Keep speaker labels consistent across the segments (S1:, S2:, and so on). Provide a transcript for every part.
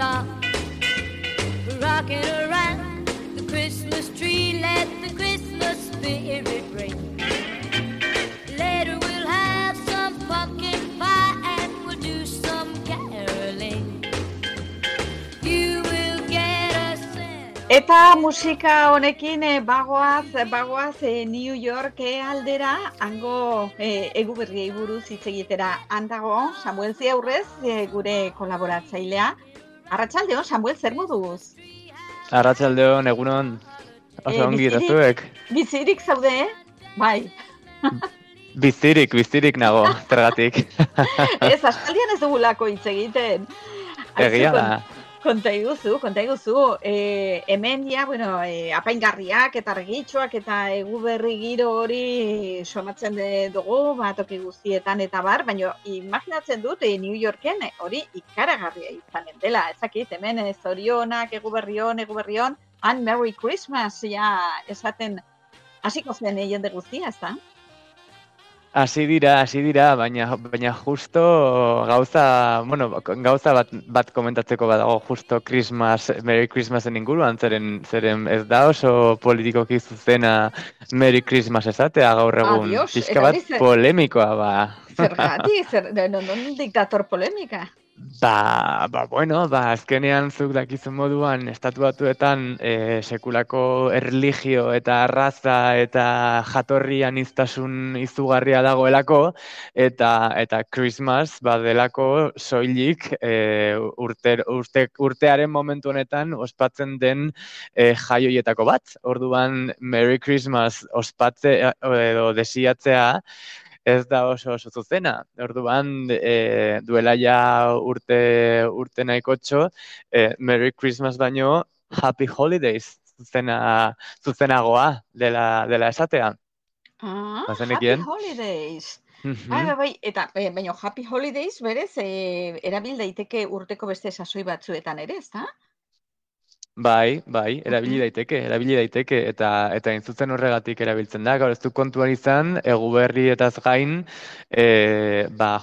S1: stop rocking around the Christmas tree. Let the Christmas spirit ring. Later we'll have some pumpkin pie and we'll do some caroling. You will get a sense.
S2: Eta musika honekin bagoaz New York aldera, hango eguberriei buruz hitz egitera. Handago, Samuel Ziaurrez, gure kolaboratzailea. Arratsaldeon, Samuel, zer moduz?
S3: Arratsaldeon, egunon. Oso ongi eta zuek.
S2: Bizirik zaude, Bai.
S3: Bizirik nago, zergatik.
S2: Ez, aspaldian ez dugulako hitz egiten.
S3: Egia da.
S2: Konta iguzu. Hemen ja, apaingarriak eta argitxoak eta eguberri giro hori somatzen dugu, toki guztietan eta bar, baina imaginatzen dut New Yorken hori ikaragarria izanen dela. Ezakit, hemen zorionak, eguberrion, and Merry Christmas, ja, esaten hasiko zen jende guztia, ez da?
S3: Hasi dira, baina justo gauza bat komentatzeko badago justo Merry Christmasen inguruan, zeren ez da oso politikoki zuzena Merry Christmas esatea gaur egun. Pixka bat polemikoa, ba.
S2: Zergatik, non diktator polemika?
S3: Azkenean zuk dakizun moduan, Estatu Batuetan sekulako erlijio eta arraza eta jatorri aniztasun izugarria dagoelako, eta Christmas badelako soilik urtearen momentu honetan ospatzen den jaioietako bat. Orduan Merry Christmas ospatzea edo desiatzea ez da oso zuzena. Orduan, duela ja urte nahikotxo, Merry Christmas baino Happy Holidays zuzenagoa dela esatea.
S2: Happy Holidays. Bai, eta baina Happy Holidays berez erabil daiteke urteko beste sasoi batzuetan ere, ezta?
S3: Bai, erabili daiteke, eta intzutzen horregatik erabiltzen da. Gaur ez du kontuan izan, eguberri etaz gain,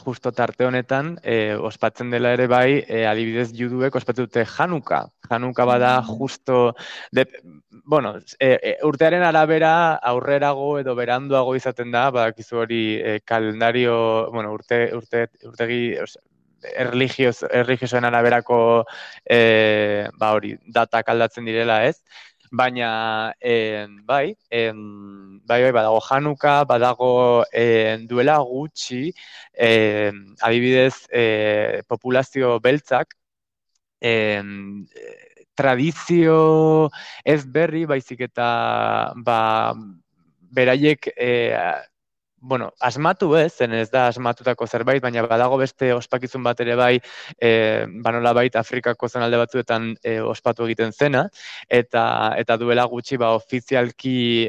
S3: justo tarte honetan, ospatzen dela ere bai, adibidez juduek ospatzen dute Hanuka. Hanuka bada justo, urtearen arabera aurrerago edo beranduago izaten da, badakizu hori kalendario, urtegi, erligiosoen araberako datak aldatzen direla, ez? Baina, badago Hanuka, badago duela gutxi, adibidez, populazio beltzak, tradizio ez berri, baizik eta, beraiek, asmatu zen ez da asmatutako zerbait, baina badago beste ospakizun bat ere bai, nolabait Afrikako zonalde batzuetan ospatu egiten zena, eta duela gutxi ofizialki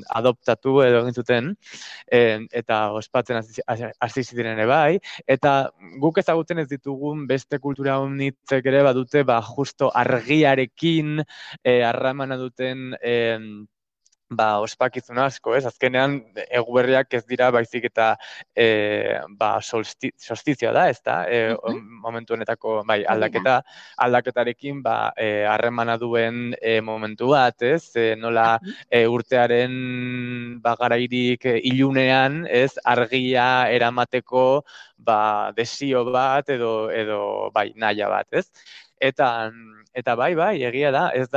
S3: adoptatu edo egin zuten, eta ospatzen hasi ziren ere bai, eta guk ezagutzen ez ditugun beste kultura unitzek ere badute, justo argiarekin harramana duten ospakizun asko, ez? Azkenean, eguberriak ez dira baizik eta solstizioa da, ez da? Momentu honetako, aldaketarekin harremana duen momentu bat, ez? Nola urtearen garairik ilunean, ez? Argia eramateko desio bat edo nahia bat, ez? Eta bai, egia da, ez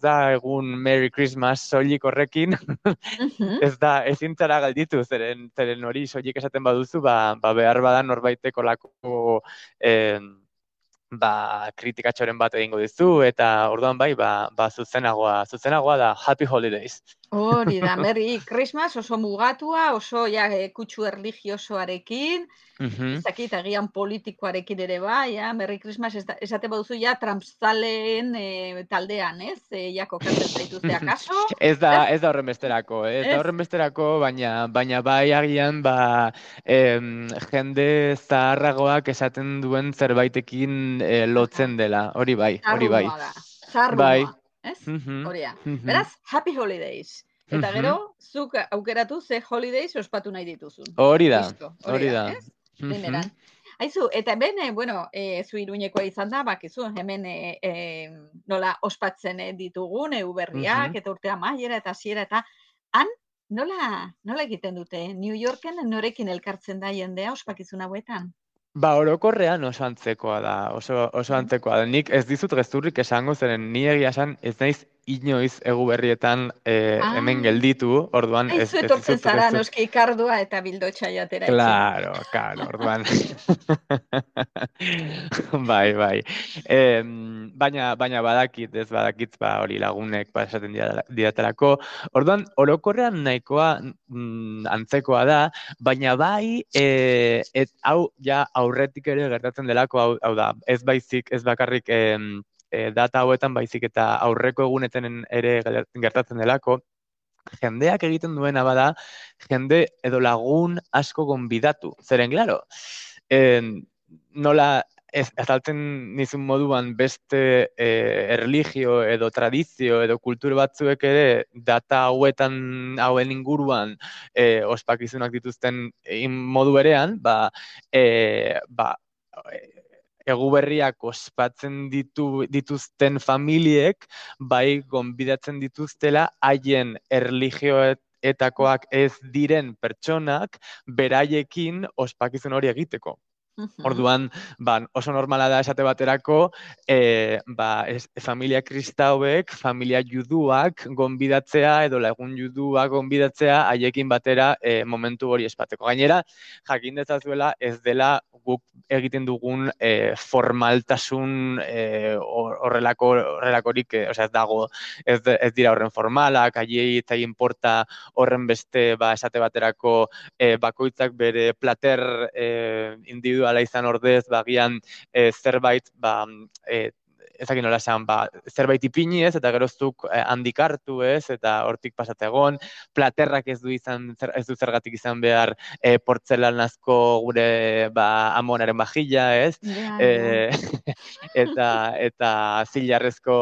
S3: da egun Merry Christmas soilik horrekin, ezin zara galditu, zeren hori soilik esaten baduzu, behar badan norbaiteko lako kritikatxoren bat egingo dizu, eta orduan zuzenagoa da Happy Holidays.
S2: Hori da, Merry Christmas oso mugatua, oso kutsu erligiosoarekin, ezakit agian politikoarekin ere bai, Merry Christmas esate baduzu Trumpzaleen taldean, ez? Kokatzen zaituzte akaso?
S3: Ez da horren besterako, baina bai agian jende zaharragoak esaten duen zerbaitekin lotzen dela, hori bai.
S2: Zarrua, ez? Horia. Beraz, Happy Holidays. Eta gero, zuk aukeratu ze holidays ospatu nahi dituzun.
S3: Hori da.
S2: Primeran. Aizu, eta hemen, bueno, zu Iruñekoa izan da, bakizu, hemen nola ospatzen ditugun, berriak,
S3: Mhm.
S2: eta urte amaiera, eta hasiera eta han, nola egiten dute? New Yorken norekin elkartzen da jendea ospakizun hauetan?
S3: Ba, orokorrean oso antzekoa da, oso
S2: Mhm.
S3: antzekoa da. Nik ez dizut gezurrik esango, zeren ni egia esan ez naiz inoiz Eguberrietan hemen
S2: Ah,
S3: gelditu, orduan
S2: aizu
S3: ez
S2: etortzen
S3: dizut
S2: zara,
S3: gezur.
S2: noski kardua eta bildotxa jatera etxera.
S3: Claro, orduan. Bai. Baina badakit, ez badakit, ba, hori lagunek esaten didatelako. Orduan, orokorrean nahikoa antzekoa da, baina bai, hau ja aurretik ere gertatzen delako, hau da, ez baizik, ez bakarrik data hauetan baizik eta aurreko egunetan ere gertatzen delako, jendeak egiten duena bada, jende edo lagun asko gonbidatu. Zeren, claro, nola azaltzen nizun moduan beste erlijio edo tradizio edo kultur batzuek ere data hauen inguruan ospakizunak dituzten modu berean, Eguberriak ospatzen dituzten familiek, bai gonbidatzen dituztela haien erlijioetakoak ez diren pertsonak beraiekin ospakizun hori egiteko.
S2: Mhm.
S3: Orduan, oso normala da esate baterako, familia kristauek, familia juduak gonbidatzea edo lagun juduak gonbidatzea haiekin batera momentu hori espateko. Gainera, jakin dezazuela ez dela guk egiten dugun formaltasun horrelakorik, ez dago, ez dira horren formalak, haiei ez zaien porta horren beste, esate baterako bakoitzak bere plater individuala izan ordez, bagian zerbait, ezakin nola esan, zerbait ipini ez, eta geroztuk handik hartu ez, eta hortik pasategon, platerrak ez du zergatik izan behar portzelanazko gure amonaren bajilla ez,
S2: Ja.
S3: eta zilarrezko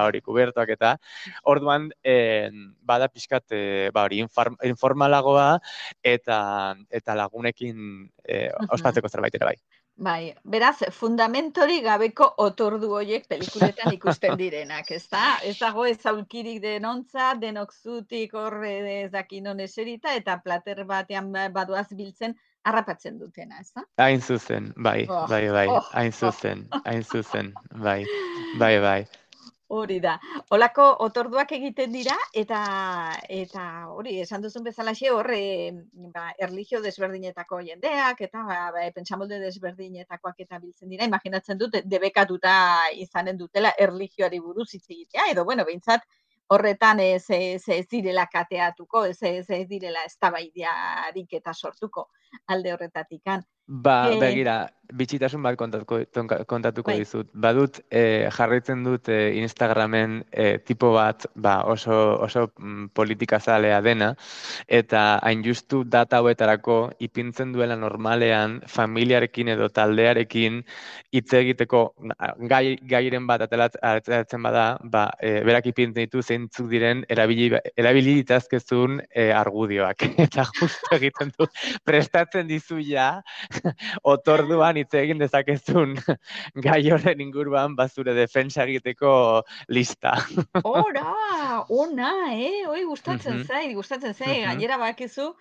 S3: hori kubertuak eta, orduan, bada pixkat, hori informalagoa, eta lagunekin
S2: Mhm.
S3: ospatzeko zerbait ere bai.
S2: Bai, beraz, fundamentori gabeko otordu horiek pelikuletan ikusten direnak, ezta? Ez dago ez aulkirik denontza, denok zutik horre ez dakin non eserita, eta plater batean badoaz biltzen harrapatzen dutena, ezta?
S3: Hain zuzen, bai,
S2: Oh, oh,
S3: hain
S2: oh.
S3: zuzen, bai.
S2: Hori da. Olako otorduak egiten dira eta hori esan duzun bezalaxe hor erlijio desberdinetako jendeak eta pentsamolde desberdinetakoak eta biltzen dira. Imaginatzen dut debekatuta izanen dutela erlijioari buruz hitz egitea edo bueno, behintzat horretan ez direla kateatuko, ez direla eztabaidarik eta sortuko alde horretatikan.
S3: Begira, bitxitasun bat kontatuko
S2: Bai.
S3: dizut. Badut, jarraitzen dut Instagramen tipo bat, oso politikazalea dena, eta hain justu data hauetarako ipintzen duela normalean familiarekin edo taldearekin hitz egiteko gairen bat ateratzen bada, berak ipintzen ditu zeintzuk diren erabili ditazkezun argudioak. Eta justu egiten du, prestatzen dizu ja, otorduan hitz egin dezakezun gai horren inguruan zure defensa egiteko lista.
S2: Ona, hoi gustatzen
S3: Mhm,
S2: zait,
S3: mhm,
S2: gainera bakizu,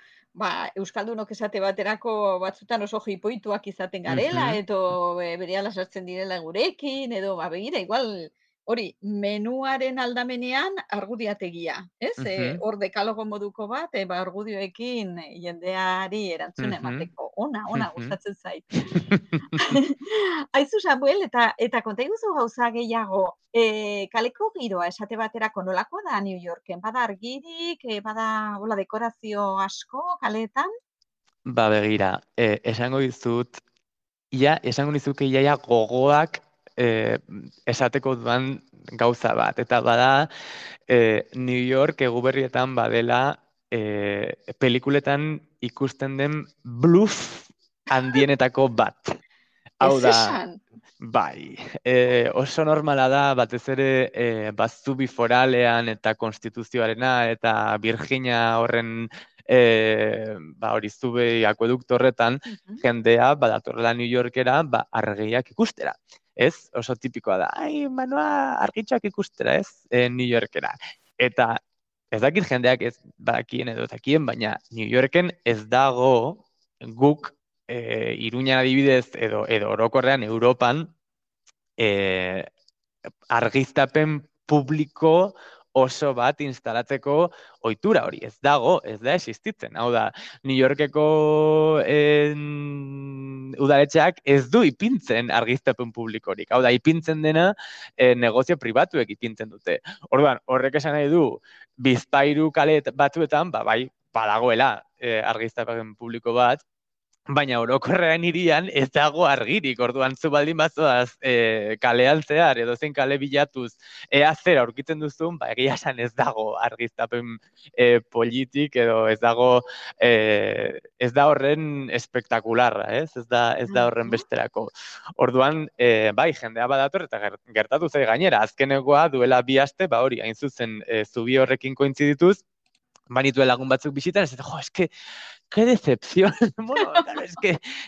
S2: Euskaldunok esate baterako batzutan oso jipoituak izaten garela,
S3: mhm,
S2: edo berehala sartzen direla gurekin, edo begira, igual, hori, menuaren aldamenean argudiategia, ez?
S3: mhm,
S2: Hor dekalogo moduko bat, argudioekin jendeari erantzun
S3: mhm,
S2: emateko. Ona,
S3: mhm.
S2: gustatzen zait. Aizu, Samuel, eta konta iguzu gauza gehiago, kaleko giroa esate baterako nolakoa da New Yorken? Bada argirik, bada hola dekorazio asko kaleetan?
S3: Begira, esango dizuke iaia gogoak esateko dudan gauza bat. Eta bada, New York Eguberrietan badela pelikuletan ikusten den bluff handienetako bat.
S2: Ez
S3: Hau da,
S2: esan?
S3: bai, oso normala da, batez ere Zubi foralean eta konstituzioarena eta Virginia horren hori zube akuedukto horretan, jendea badatorrela New Yorkera argiak ikustera. Ez, oso tipikoa da, Manoa, argitxoak ikustera, ez, New Yorkera. Eta ez dakit jendeak ez bakien edo dakien, baina New Yorken ez dago guk Iruñan adibidez edo orokorrean Europan argiztapen publiko oso bat instalatzeko ohitura hori. Ez dago, ez da existitzen. Hau da, New Yorkeko udaletxeak ez du ipintzen argiztapen publikorik. Hau da, ipintzen dena negozio pribatuek ipintzen dute. Orduan, horrek esan nahi du, Bizpahiru kale batzuetan, bai, badagoela argiztapen publiko bat, baina orokorrean hirian ez dago argirik, orduan zu baldin bazoaz kalean zehar edo zein kale bilatuz ea zer aurkitzen duzun, egia esan ez dago argiztapen politik edo ez dago ez da horren espektakularra, ez da horren besterako. Orduan, bai, jendea badator eta gertatu zai gainera, azkenekoa duela 2 aste, hori, hain zuzen zubi horrekin kointzidituz, banituen lagun batzuk bisitan, ez eske, qué decepción. Bueno, claro,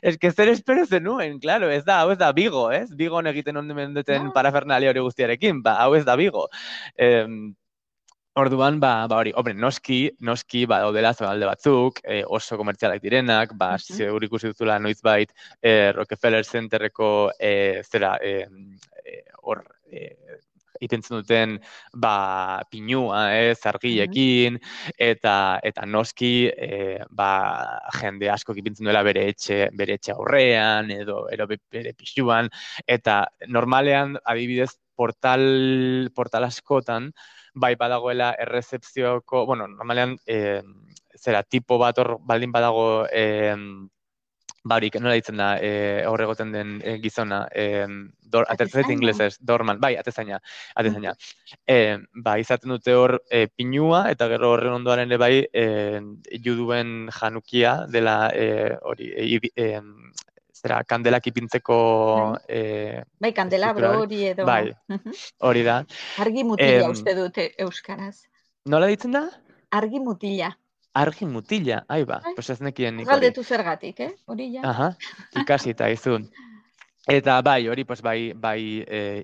S3: es que zer espero zenuen, claro, hau ez da Vigo, ez? Vigon egiten onden duten parafernalia hori guztiarekin, hau ez da Vigo. Orduan, hori, noski daudela zonalde batzuk, oso komertzialak direnak, zeur ikusi duzula noizbait Rockefeller Centerreko hor itentzen duten pinua, argilekin, eta noski jende asko ipintzen duela bere etxe aurrean, edo bere pixuan, eta normalean, adibidez, portal askotan, badagoela errezepzioko, normalean, tipo bat hor baldin badago, barik, nola ditzen da, horregoten den gizona, atezaina inglesez, dorman, atezaina. Izaten dute hor pinua, eta gero horren ondoaren ere juduen janukia dela hori, kandelak ipintzeko...
S2: Kandelabro hori edo...
S3: Hori da.
S2: Argi mutila uste dute euskaraz.
S3: Nola ditzen da?
S2: Argi mutila.
S3: Argi mutila, pues ez nekien nik hori.
S2: Galdetu zergatik, hori ja.
S3: Aha, ikasita izun. Eta hori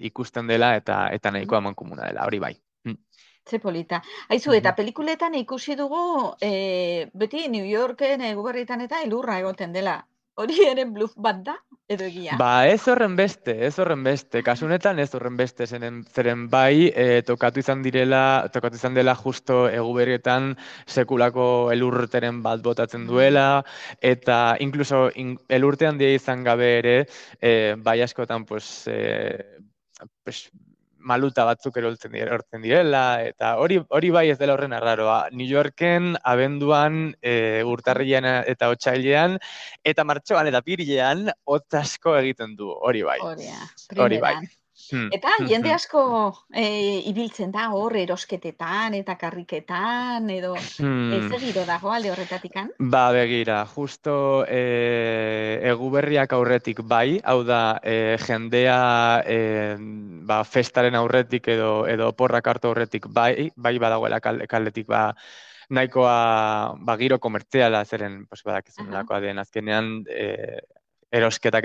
S3: ikusten dela eta nahiko amankomuna dela, hori bai.
S2: Ze polita. Aizu, eta pelikuletan ikusi dugu, beti New Yorken eguberritan eta elurra egoten dela. Hori ere bluff bat da, edo egia?
S3: Ez horren beste. Kasunetan ez horren beste, zeren bai, tokatu izan dela justo eguberrietan sekulako elurteren bat botatzen duela, eta inkluso elurte handia izan gabe ere, bai askotan, maluta batzuk erortzen direla, eta hori bai ez dela horren arraroa. New Yorken, abenduan, urtarrilean eta otsailean, eta martxoan eta apirilean, hotz asko egiten du, hori bai. Hori bai.
S2: Eta jende asko ibiltzen da hor erosketetan eta karriketan, edo ez giro dago alde horretatikan?
S3: Begira, justo eguberriak aurretik bai, hau da jendea festaren aurretik edo porrak hartu aurretik bai badagoela kaldetik nahikoa giro komertziala zeren badakizun lakoa den azkenean erosketak,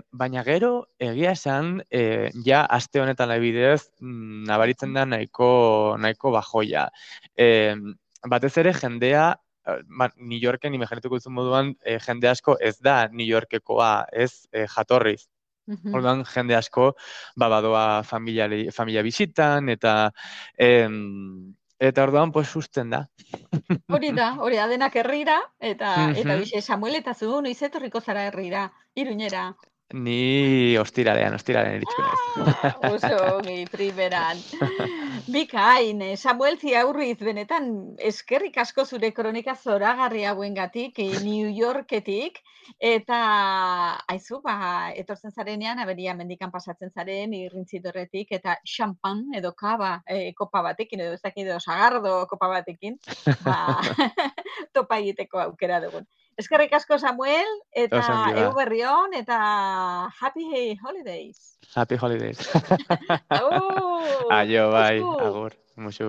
S3: baina gero egia esan, aste honetan adibidez, nabaritzen da nahiko bajoia. Batez ere jendea, New Yorken, imaginatuko duzun moduan, jende asko ez da New Yorkekoa, ez jatorriz. Orduan, jende asko, badoa familia bisitan, eta orduan, susten da.
S2: Hori da, denak herrira, eta bixe, Samuel eta zu, noiz etorriko zara herrira, Iruñera?
S3: Ni ostiralean eritxiko naiz.
S2: Oso, primeran. Bikain, Samuel Ziaurriz, benetan, eskerrik asko zure kronika zoragarri hauengatik, New Yorketik, eta aizu, etortzen zarenean, aberia mendikan pasatzen zaren, irrintzitorretik, eta xampan edo kaba kopa batekin, edo ezakit edo sagardo kopa batekin, topa egiteko aukera dugun. Eskerrik asko, Samuel, eta eguberri on, eta happy holidays.
S3: Happy holidays. Aio, bai, agur, musu.